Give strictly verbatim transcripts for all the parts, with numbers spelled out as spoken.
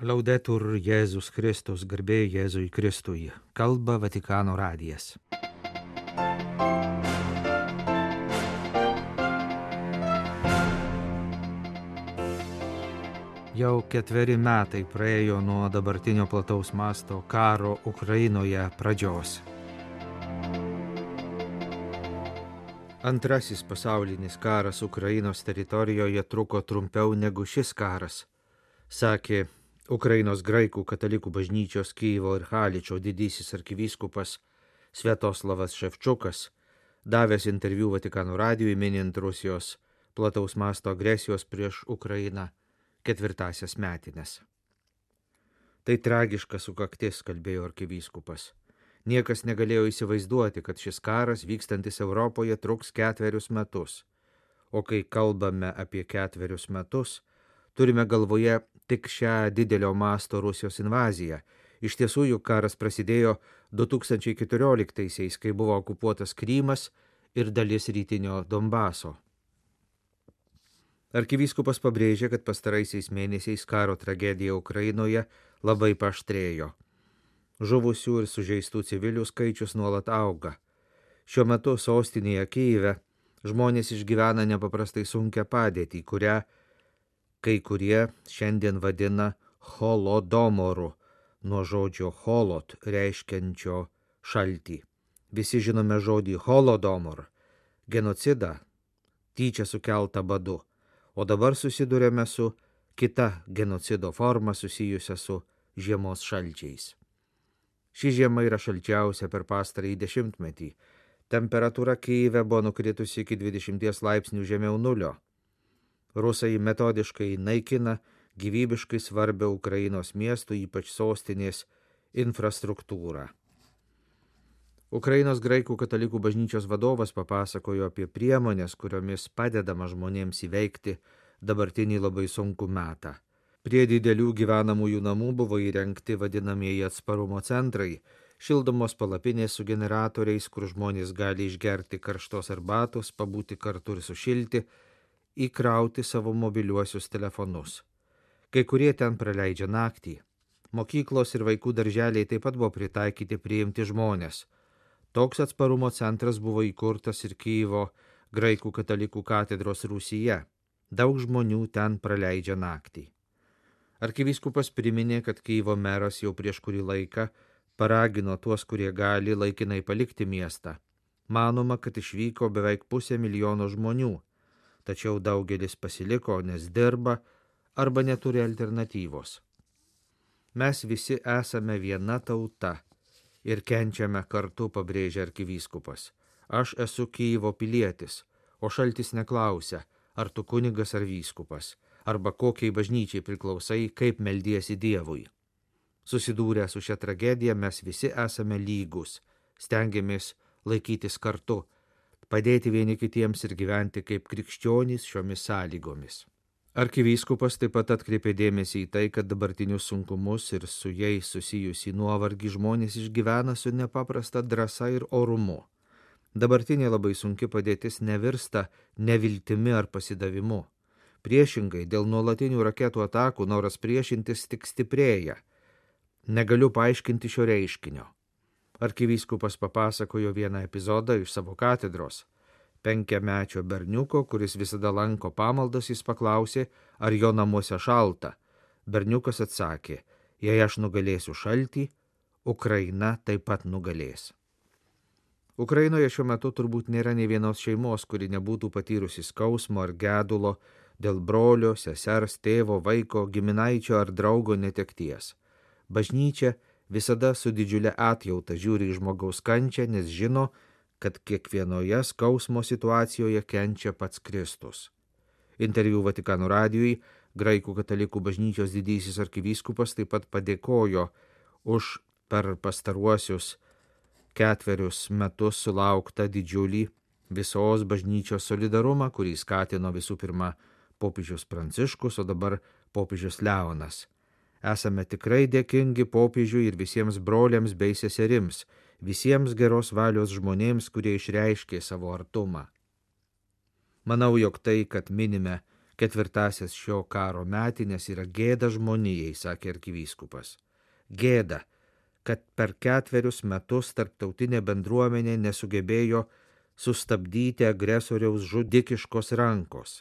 Laudetur Jėzus Kristus, garbė Jėzui Kristui. Kalba Vatikano radijas. Jau ketveri metai praėjo nuo dabartinio plataus masto karo Ukrainoje pradžios. Antrasis pasaulinis karas Ukrainos teritorijoje truko trumpiau negu šis karas, sakė Ukrainos graikų katalikų bažnyčios Kyjivo ir Haličo didysis arkivyskupas Sviatoslavas Ševčukas, davęs interviu Vatikano radijui minint Rusijos plataus masto agresijos prieš Ukrainą ketvirtasias metines. Tai tragiška sukaktis, kalbėjo arkivyskupas. Niekas negalėjo įsivaizduoti, kad šis karas vykstantis Europoje truks ketverius metus. O kai kalbame apie ketverius metus, turime galvoje tik šią didelio masto Rusijos invaziją. Iš tiesų, juk karas prasidėjo du tūkstančiai keturioliktaisiais, kai buvo okupuotas Krymas ir dalis rytinio Donbaso. Arkivyskupas pabrėžė, kad pastaraisiais mėnesiais karo tragedija Ukrainoje labai paaštrėjo. Žuvusių ir sužeistų civilių skaičius nuolat auga. Šiuo metu sostinėje Kyjive žmonės išgyvena nepaprastai sunkią padėtį, kurią kai kurie šiandien vadina holodomoru, nuo žodžio holot reiškiančio šaltį. Visi žinome žodį holodomor, genocidą, tyčia sukeltą badu, o dabar susidurėme su kita genocido forma susijusia su žiemos šalčiais. Ši žiema yra šalčiausia per pastarąjį dešimtmetį. Temperatūra Kyjive buvo nukritusi iki dvidešimties laipsnių žemiau nulio. Rusai metodiškai naikina gyvybiškai svarbią Ukrainos miestų, ypač sostinės, infrastruktūrą. Ukrainos graikų katalikų bažnyčios vadovas papasakojo apie priemonės, kuriomis padedama žmonėms įveikti dabartinį labai sunkų metą. Prie didelių gyvenamųjų namų buvo įrengti vadinamieji atsparumo centrai, šildomos palapinės su generatoriais, kur žmonės gali išgerti karštos arbatos, pabūti kartu ir sušilti, įkrauti savo mobiliuosius telefonus. Kai kurie ten praleidžia naktį. Mokyklos ir vaikų darželiai taip pat buvo pritaikyti priimti žmonės. Toks atsparumo centras buvo įkurtas ir Kyjivo graikų katalikų katedros rūsyje. Daug žmonių ten praleidžia naktį. Arkivyskupas priminė, kad Kyjivo meras jau prieš kurį laiką paragino tuos, kurie gali, laikinai palikti miestą. Manoma, kad išvyko beveik pusė milijono žmonių. Tačiau daugelis pasiliko, nes dirba arba neturi alternatyvos. Mes visi esame viena tauta ir kenčiame kartu, pabrėžė arkivyskupas. Aš esu Kyjivo pilietis, o šaltis neklausia, ar tu kunigas ar vyskupas, arba kokiai bažnyčiai priklausai, kaip meldiesi Dievui. Susidūrę su šia tragedija mes visi esame lygus, stengiamės laikytis kartu, padėti vieni kitiems ir gyventi kaip krikščionys šiomis sąlygomis. Arkivyskupas taip pat atkreipė dėmesį į tai, kad dabartinius sunkumus ir su jais susijusį nuovargį žmonės išgyvena su nepaprasta drąsa ir orumu. Dabartinė labai sunki padėtis nevirsta neviltimi ar pasidavimu. Priešingai, dėl nuolatinių raketų atakų noras priešintis tik stiprėja. Negaliu paaiškinti šio reiškinio. Arkivyskupas papasakojo vieną epizodą iš savo katedros. Penkiamečio berniuko, kuris visada lanko pamaldas, jis paklausė, ar jo namuose šalta. Berniukas atsakė, jei aš nugalėsiu šaltį, Ukraina taip pat nugalės. Ukrainoje šiuo metu turbūt nėra nei vienos šeimos, kuri nebūtų patyrusi skausmo ar gedulo dėl brolio, sesers, tėvo, vaiko, giminaičio ar draugo netekties. Bažnyčia visada su didžiulė atjauta žiūri į žmogaus kančią, nes žino, kad kiekvienoje skausmo situacijoje kenčia pats Kristus. Interviu Vatikano radijui graikų katalikų bažnyčios didysis arkivyskupas taip pat padėkojo už per pastaruosius ketverius metus sulauktą didžiulį visos bažnyčios solidarumą, kurį skatino visų pirma popiežius Pranciškus, o dabar popiežius Leonas. Esame tikrai dėkingi popiežiui ir visiems broliams bei seserims, visiems geros valios žmonėms, kurie išreiškė savo artumą. Manau, jog tai, kad minime Ketvirtasis šio karo metinės yra gėda žmonijai, sakė arkivyskupas. Gėda, kad per ketverius metus tarptautinė bendruomenė nesugebėjo sustabdyti agresoriaus žudikiškos rankos.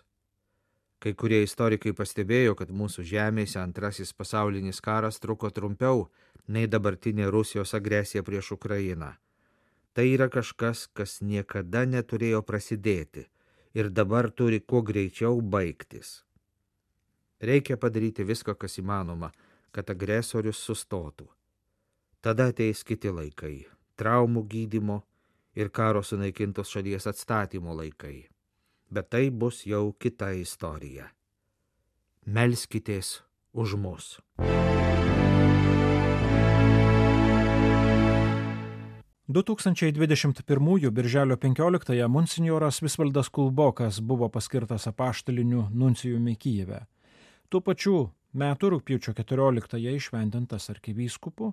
Kai kurie istorikai pastebėjo, kad mūsų žemėse antrasis pasaulinis karas truko trumpiau nei dabartinė Rusijos agresija prieš Ukrainą. Tai yra kažkas, kas niekada neturėjo prasidėti ir dabar turi kuo greičiau baigtis. Reikia padaryti viską, kas įmanoma, kad agresorius sustotų. Tada ateis kiti laikai – traumų gydymo ir karo sunaikintos šalies atstatymo laikai. Bet tai bus jau kita istorija. Melskitės už mus. du tūkstančiai dvidešimt pirmųjų birželio penkioliktąją monsinjoras Visvaldas Kulbokas buvo paskirtas apaštaliniu nuncijumi Kijeve. Tuo pačiu metu rugpjūčio keturioliktąją įšventintas arkivyskupu,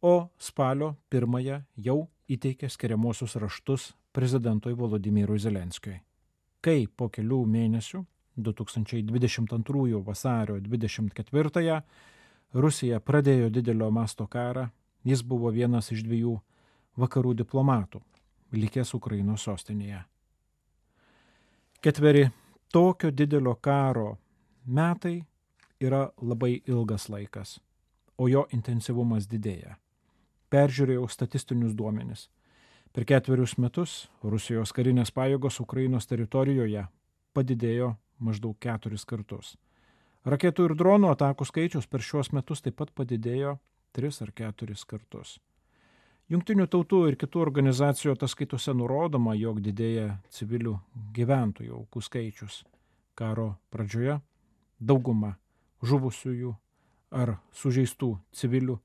o spalio pirmąją jau įteikė skiriamuosius raštus prezidentui Volodymyrui Zelenskiui. Kai po kelių mėnesių, du tūkstančiai dvidešimt antrųjų vasario dvidešimt ketvirtąją, Rusija pradėjo didelio masto karą, jis buvo vienas iš dviejų vakarų diplomatų, likęs Ukrainos sostinėje. Ketveri tokio didelio karo metai yra labai ilgas laikas, o jo intensyvumas didėja. Peržiūrėjau statistinius duomenis. Per ketverius metus Rusijos karinės pajėgos Ukrainos teritorijoje padidėjo maždaug keturis kartus. Raketų ir dronų atakų skaičius per šiuos metus taip pat padidėjo tris ar keturis kartus. Jungtinių tautų ir kitų organizacijų ataskaitose nurodoma, jog didėja civilių gyventojų aukų skaičius. Karo pradžioje dauguma žuvusiųjų ar sužeistų civilių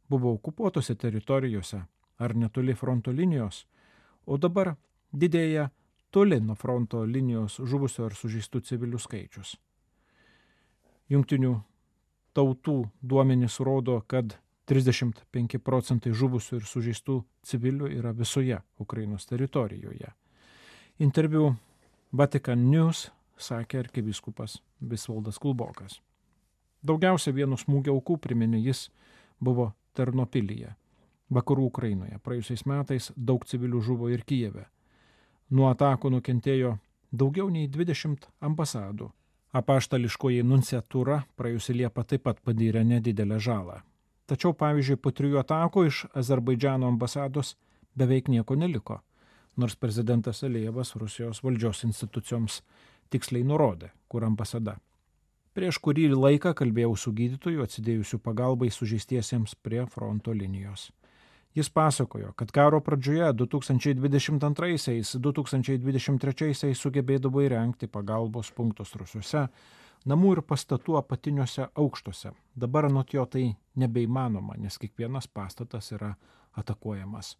buvo okupuotose teritorijose ar netoli fronto linijos, o dabar didėja toli nuo fronto linijos žuvusių ar sužeistų civilių skaičius. Jungtinių tautų duomenys rodo, kad trisdešimt penki procentai žuvusių ir sužeistų civilių yra visoje Ukrainos teritorijoje. Interviu Vatican News sakė arkivyskupas Visvaldas Kulbokas. Daugiausia vienu smūgio aukų, priminė jis, buvo Ternopilyje, vakarų Ukrainoje. Praėjusiais metais daug civilių žuvo ir Kijeve. Nuo atakų nukentėjo daugiau nei dvidešimt ambasadų. Apaštališkoji nunciatūra praėjusi Liepą taip pat patyrė nedidelę žalą. Tačiau, pavyzdžiui, po trijų atakų iš Azerbaidžano ambasados beveik nieko neliko, nors prezidentas Alijevas Rusijos valdžios institucijoms tiksliai nurodė, kur ambasada. Prieš kurį laiką kalbėjau su gydytoju atsidėjusiu pagalbai sužeistiesiems prie fronto linijos. Jis pasakojo, kad karo pradžioje du tūkstančiai dvidešimt antraisiais - du tūkstančiai dvidešimt trečiaisiais sugebėdavo įrengti pagalbos punktus Rusiuose, namų ir pastatų apatiniuose aukštuose. Dabar anot jo tai nebeįmanoma, nes kiekvienas pastatas yra atakuojamas.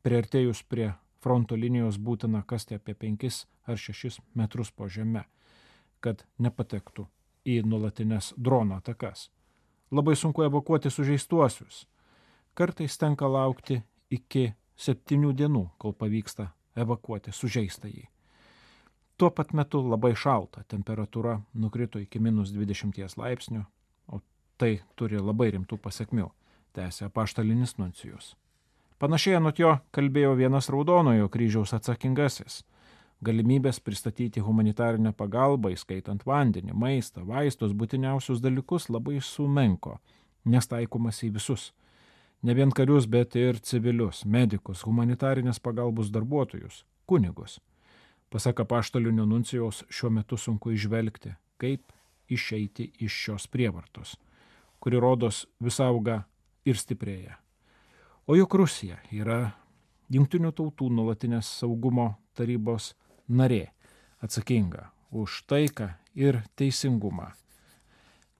Priartėjus prie fronto linijos būtina kasti apie penkis ar šešis metrus po žeme, kad nepatektų į nuolatinės drono atakas. Labai sunku evakuoti sužeistuosius. Kartais tenka laukti iki septynių dienų, kol pavyksta evakuoti sužeistąjį. Tuo pat metu labai šalta, temperatūra nukrito iki minus dvidešimties laipsnių, o tai turi labai rimtų pasekmių, tęsė apaštalinis nuncijus. Panašiai anot jo kalbėjo vienas Raudonojo kryžiaus atsakingasis. Galimybės pristatyti humanitarinę pagalbą, įskaitant vandenį, maistą, vaistus, būtiniausius dalykus labai sumenko, nes taikomas į visus. Ne vien karius, bet ir civilius, medikus, humanitarinės pagalbos darbuotojus, kunigus. Pasak apaštalinio nuncijaus, šiuo metu sunku išvelgti, kaip išeiti iš šios prievartos, kuri rodos vis auga ir stiprėja. O juk Rusija yra Jungtinių tautų nuolatinės saugumo tarybos narė, atsakinga už taiką ir teisingumą.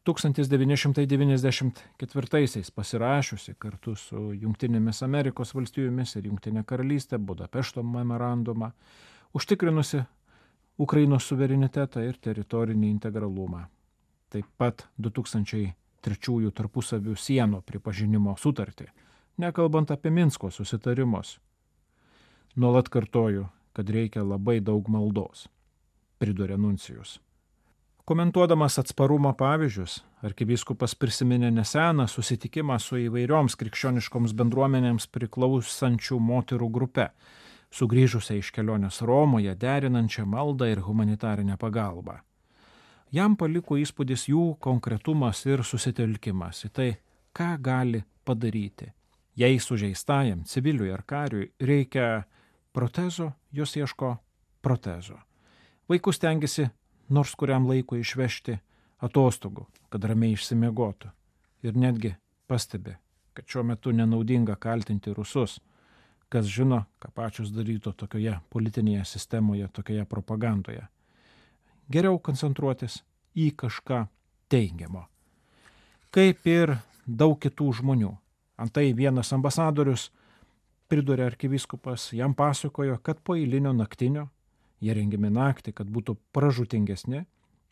tūkstantis devyni šimtai devyniasdešimt ketvirtaisiais pasirašiusi kartu su Jungtinėmis Amerikos valstijomis ir Jungtinė karalystė Budapešto memorandumą, užtikrinusi Ukrainos suverenitetą ir teritorinį integralumą. Taip pat du tūkstančiai trečiųjų tarpusavių sienų pripažinimo sutartį, nekalbant apie Minsko susitarimus. Nuolat kartoju, kad reikia labai daug maldos, pridūrė nuncijus. Komentuodamas atsparumo pavyzdžius, arkivyskupas prisiminė neseną susitikimą su įvairioms krikščioniškoms bendruomenėms priklausančių moterų grupe, sugrįžusią iš kelionės Romoje, derinančią maldą ir humanitarinę pagalbą. Jam paliko įspūdis jų konkretumas ir susitelkimas į tai, ką gali padaryti. Jei sužeistajam, civiliui ar kariui reikia protezo, jos ieško protezo. Vaikus stengiasi nors kuriam laikui išvežti atostogų, kad ramiai išsimiegotų. Ir netgi pastebi, kad šiuo metu nenaudinga kaltinti rusus, kas žino, ką pačios darytų tokioje politinėje sistemoje, tokioje propagandoje. Geriau koncentruotis į kažką teigiamo. Kaip ir daug kitų žmonių. Antai vienas ambasadorius, pridūrė arkivyskupas, jam pasakojo, kad po eilinio naktinio, jie rengiami naktį, kad būtų pražūtingesni,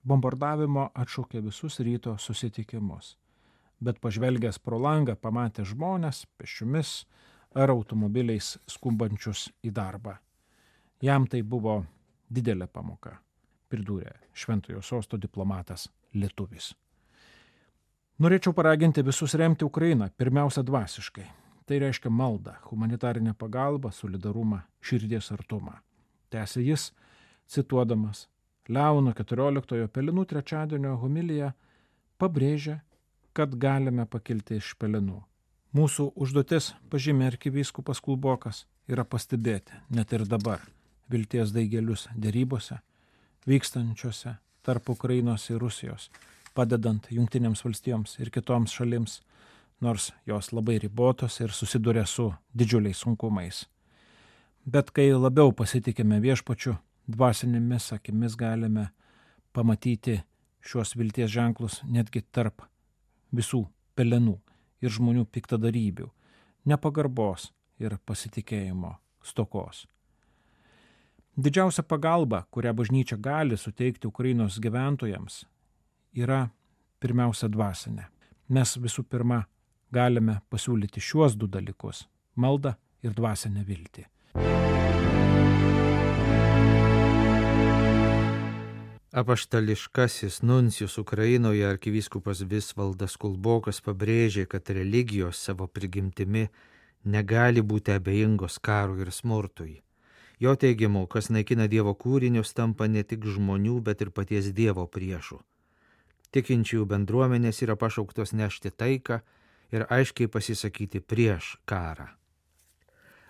bombardavimo atšaukė visus ryto susitikimus. Bet pažvelgęs pro langą pamatė žmonės pėsčiomis ar automobiliais skumbančius į darbą. Jam tai buvo didelė pamoka, pridūrė Šventojo Sosto diplomatas lietuvis. Norėčiau paraginti visus remti Ukrainą, pirmiausia dvasiškai. Tai reiškia maldą, humanitarinę pagalbą, solidarumą, širdies artumą. Tęsė jis, cituodamas Leono keturioliktojo Pelenų trečiadienio homiliją, pabrėžia, kad galime pakilti iš pelenų. Mūsų užduotis, pažymė arkivyskupas Kulbokas, yra pastebėti, net ir dabar, vilties daigelius dėrybose, vykstančiose tarp Ukrainos ir Rusijos, padedant Jungtinėms valstijoms ir kitoms šalims, nors jos labai ribotos ir susiduria su didžiuliais sunkumais. Bet kai labiau pasitikime viešpačiu, dvasinėmis akimis galime pamatyti šios vilties ženklus netgi tarp visų pelenų ir žmonių piktadarybių, nepagarbos ir pasitikėjimo stokos. Didžiausia pagalba, kurią bažnyčia gali suteikti Ukrainos gyventojams, yra pirmiausia dvasinė. Mes visų pirma galime pasiūlyti šiuos du dalykus – maldą ir dvasinę viltį. Apaštališkasis nuncijus Ukrainoje arkivyskupas Visvaldas Kulbokas pabrėžė, kad religijos savo prigimtimi negali būti abejingos karui ir smurtui. Jo teigimu, kas naikina Dievo kūrinius, tampa ne tik žmonių, bet ir paties Dievo priešų. Tikinčiųjų bendruomenės yra pašauktos nešti taiką ir aiškiai pasisakyti prieš karą.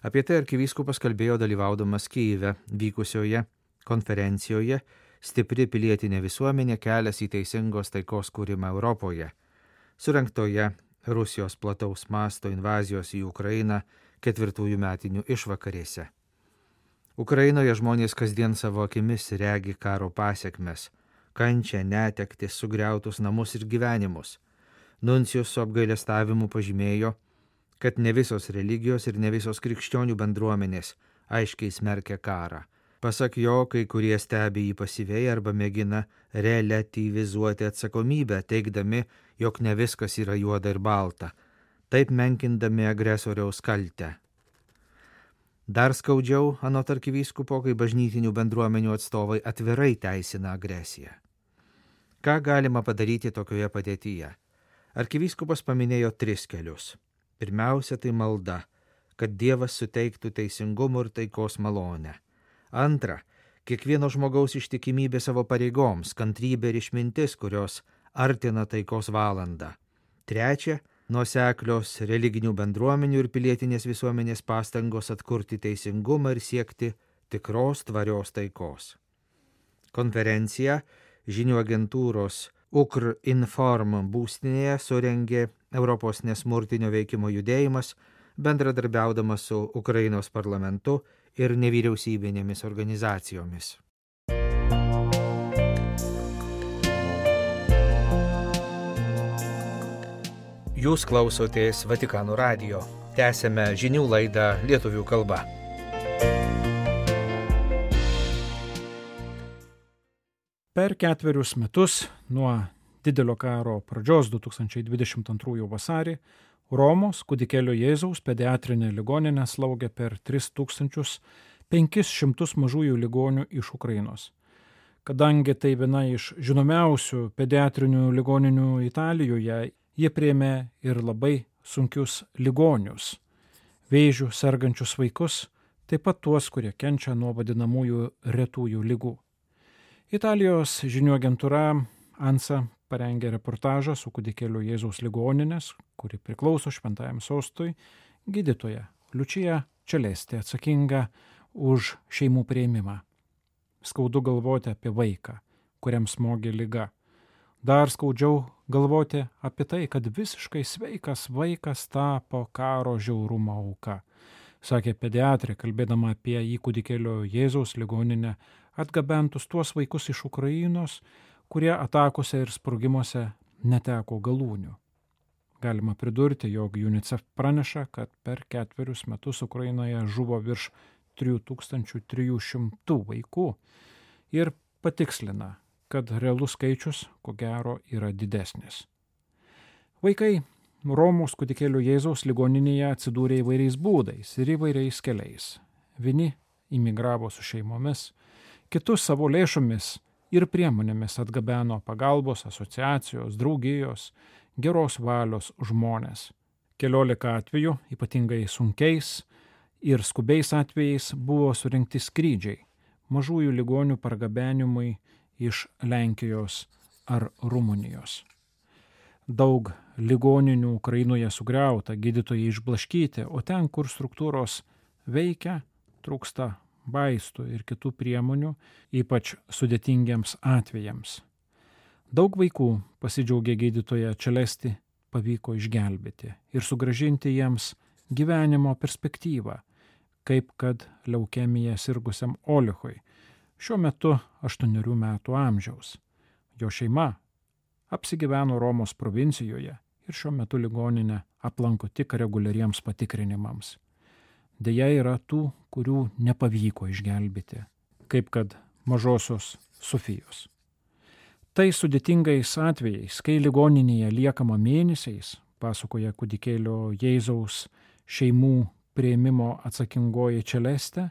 Apie tai arkivyskupas kalbėjo dalyvaudamas Kyjive vykusioje konferencijoje Stipri pilietinė visuomenė kelias į teisingos taikos kūrimą Europoje, surengtoje Rusijos plataus masto invazijos į Ukrainą ketvirtųjų metinių išvakarėse. Ukrainoje žmonės kasdien savo akimis regi karo pasiekmes, kančią, netektis, sugriautus namus ir gyvenimus. Nuncijus su apgailestavimu pažymėjo, kad ne visos religijos ir ne visos krikščionių bendruomenės aiškiai smerkia karą. Pasak jo, kai kurie stebi jį pasyviai arba mėgina relativizuoti atsakomybę, teigdami, jog ne viskas yra juoda ir balta, taip menkindami agresoriaus kaltę. Dar skaudžiau, anot arkivyskupo, kai bažnytinių bendruomenių atstovai atvirai teisina agresiją. Ką galima padaryti tokioje padėtyje? Arkivyskupas paminėjo tris kelius. Pirmiausia, tai malda, kad Dievas suteiktų teisingumo ir taikos malonę. Antra, kiekvieno žmogaus ištikimybė savo pareigoms, kantrybė ir išmintis, kurios artina taikos valandą. Trečia, nuoseklios religinių bendruomenių ir pilietinės visuomenės pastangos atkurti teisingumą ir siekti tikros tvarios taikos. Konferenciją žinių agentūros Ukrinform būstinėje surengė Europos nesmurtinio veikimo judėjimas, bendradarbiaudamas su Ukrainos parlamentu ir nevyriausybinėmis organizacijomis. Jūs klausotės Vatikano radijo. Tęsėme žinių laidą lietuvių kalba. Per ketverius metus nuo didelio karo pradžios du tūkstančiai dvidešimt antrųjų vasarį Romos kūdikėlio Jėzaus pediatrinė ligoninė slaugė per tris tūkstančius penkis šimtus mažųjų ligonių iš Ukrainos. Kadangi tai viena iš žinomiausių pediatrinių ligoninių Italijoje, jie priėmė ir labai sunkius ligonius, vėžių sergančius vaikus, taip pat tuos, kurie kenčia nuo vadinamųjų retųjų ligų. Italijos žinių agentūra ANSA parengė reportažą su kūdikėliu Jėzaus ligoninės, kuri priklauso Šventajam sostui, gydytoja Liučija Čelesti atsakinga už šeimų priėmimą. Skaudu galvoti apie vaiką, kuriam smogė liga. Dar skaudžiau galvoti apie tai, kad visiškai sveikas vaikas tapo karo žiaurumo auka, sakė pediatrė, kalbėdama apie į kūdikėlio Jėzaus ligoninę atgabentus tuos vaikus iš Ukrainos, kurie atakose ir sprogimuose neteko galūnių. Galima pridurti, jog UNICEF praneša, kad per ketverius metus Ukrainoje žuvo virš trijų tūkstančių trijų šimtų vaikų ir patikslina, kad realus skaičius, ko gero, yra didesnis. Vaikai Romos kūdikėlio Jėzaus ligoninėje atsidūrė įvairiais būdais ir įvairiais keliais. Vieni imigravo su šeimomis, kitus savo lėšomis ir priemonėmis atgabeno pagalbos asociacijos, draugijos, geros valios žmonės. Keliolika atvejų, ypatingai sunkiais ir skubiais atvejais, buvo surinkti skrydžiai mažųjų ligonių pargabenimui iš Lenkijos ar Rumunijos. Daug ligoninių Ukrainoje sugriauta, gydytojai išblaškyti, o ten, kur struktūros veikia, trūksta vaistų ir kitų priemonių, ypač sudėtingiems atvejams. Daug vaikų, pasidžiaugė gydytoja Čelesti, pavyko išgelbėti ir sugrąžinti jiems gyvenimo perspektyvą, kaip kad leukemija sirgusiam Olichui, šiuo metu aštuonerių metų amžiaus. Jo šeima apsigyveno Romos provincijoje ir šiuo metu ligoninę aplanko tik reguliariems patikrinimams. Deja yra tų, kurių nepavyko išgelbėti, kaip kad mažosios Sofijos. Tai sudėtingais atvejais, kai ligoninėje liekama mėnesiais, pasakoja kūdikėlio Jėzaus šeimų priėmimo atsakingoji Čelestė,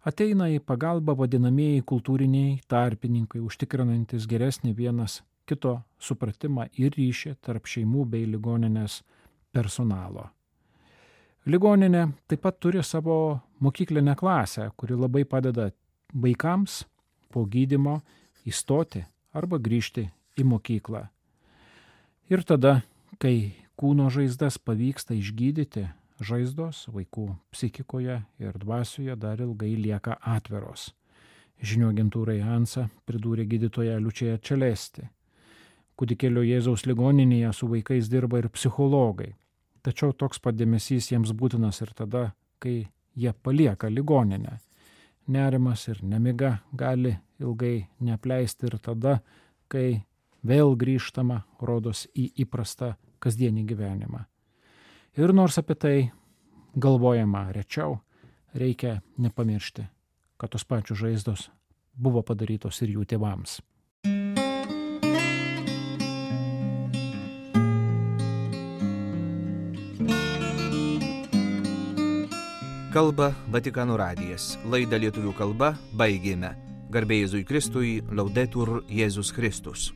ateina į pagalbą vadinamieji kultūriniai tarpininkai, užtikrinantis geresnį vienas kito supratimą ir ryšį tarp šeimų bei ligoninės personalo. Ligoninė taip pat turi savo mokyklinę klasę, kuri labai padeda vaikams po gydymo įstoti arba grįžti į mokyklą. Ir tada, kai kūno žaizdas pavyksta išgydyti, žaizdos vaikų psichikoje ir dvasioje dar ilgai lieka atviros. Žinių agentūrai ANSA pridūrė gydytoja Liučija Čelesti. Kūdikėlio Jėzaus ligoninėje su vaikais dirba ir psichologai. Tačiau toks pat dėmesys jiems būtinas ir tada, kai jie palieka ligoninę. Nerimas ir nemiga gali ilgai neapleisti ir tada, kai vėl grįžtama, rodos, į įprastą kasdienį gyvenimą. Ir nors apie tai galvojama rečiau, reikia nepamiršti, kad tos pačios žaizdos buvo padarytos ir jų tėvams. Kalba Vatikano radijas. Laidą lietuvių kalba baigėme. Garbė Jėzui Kristui, Laudetur Jėzus Kristus.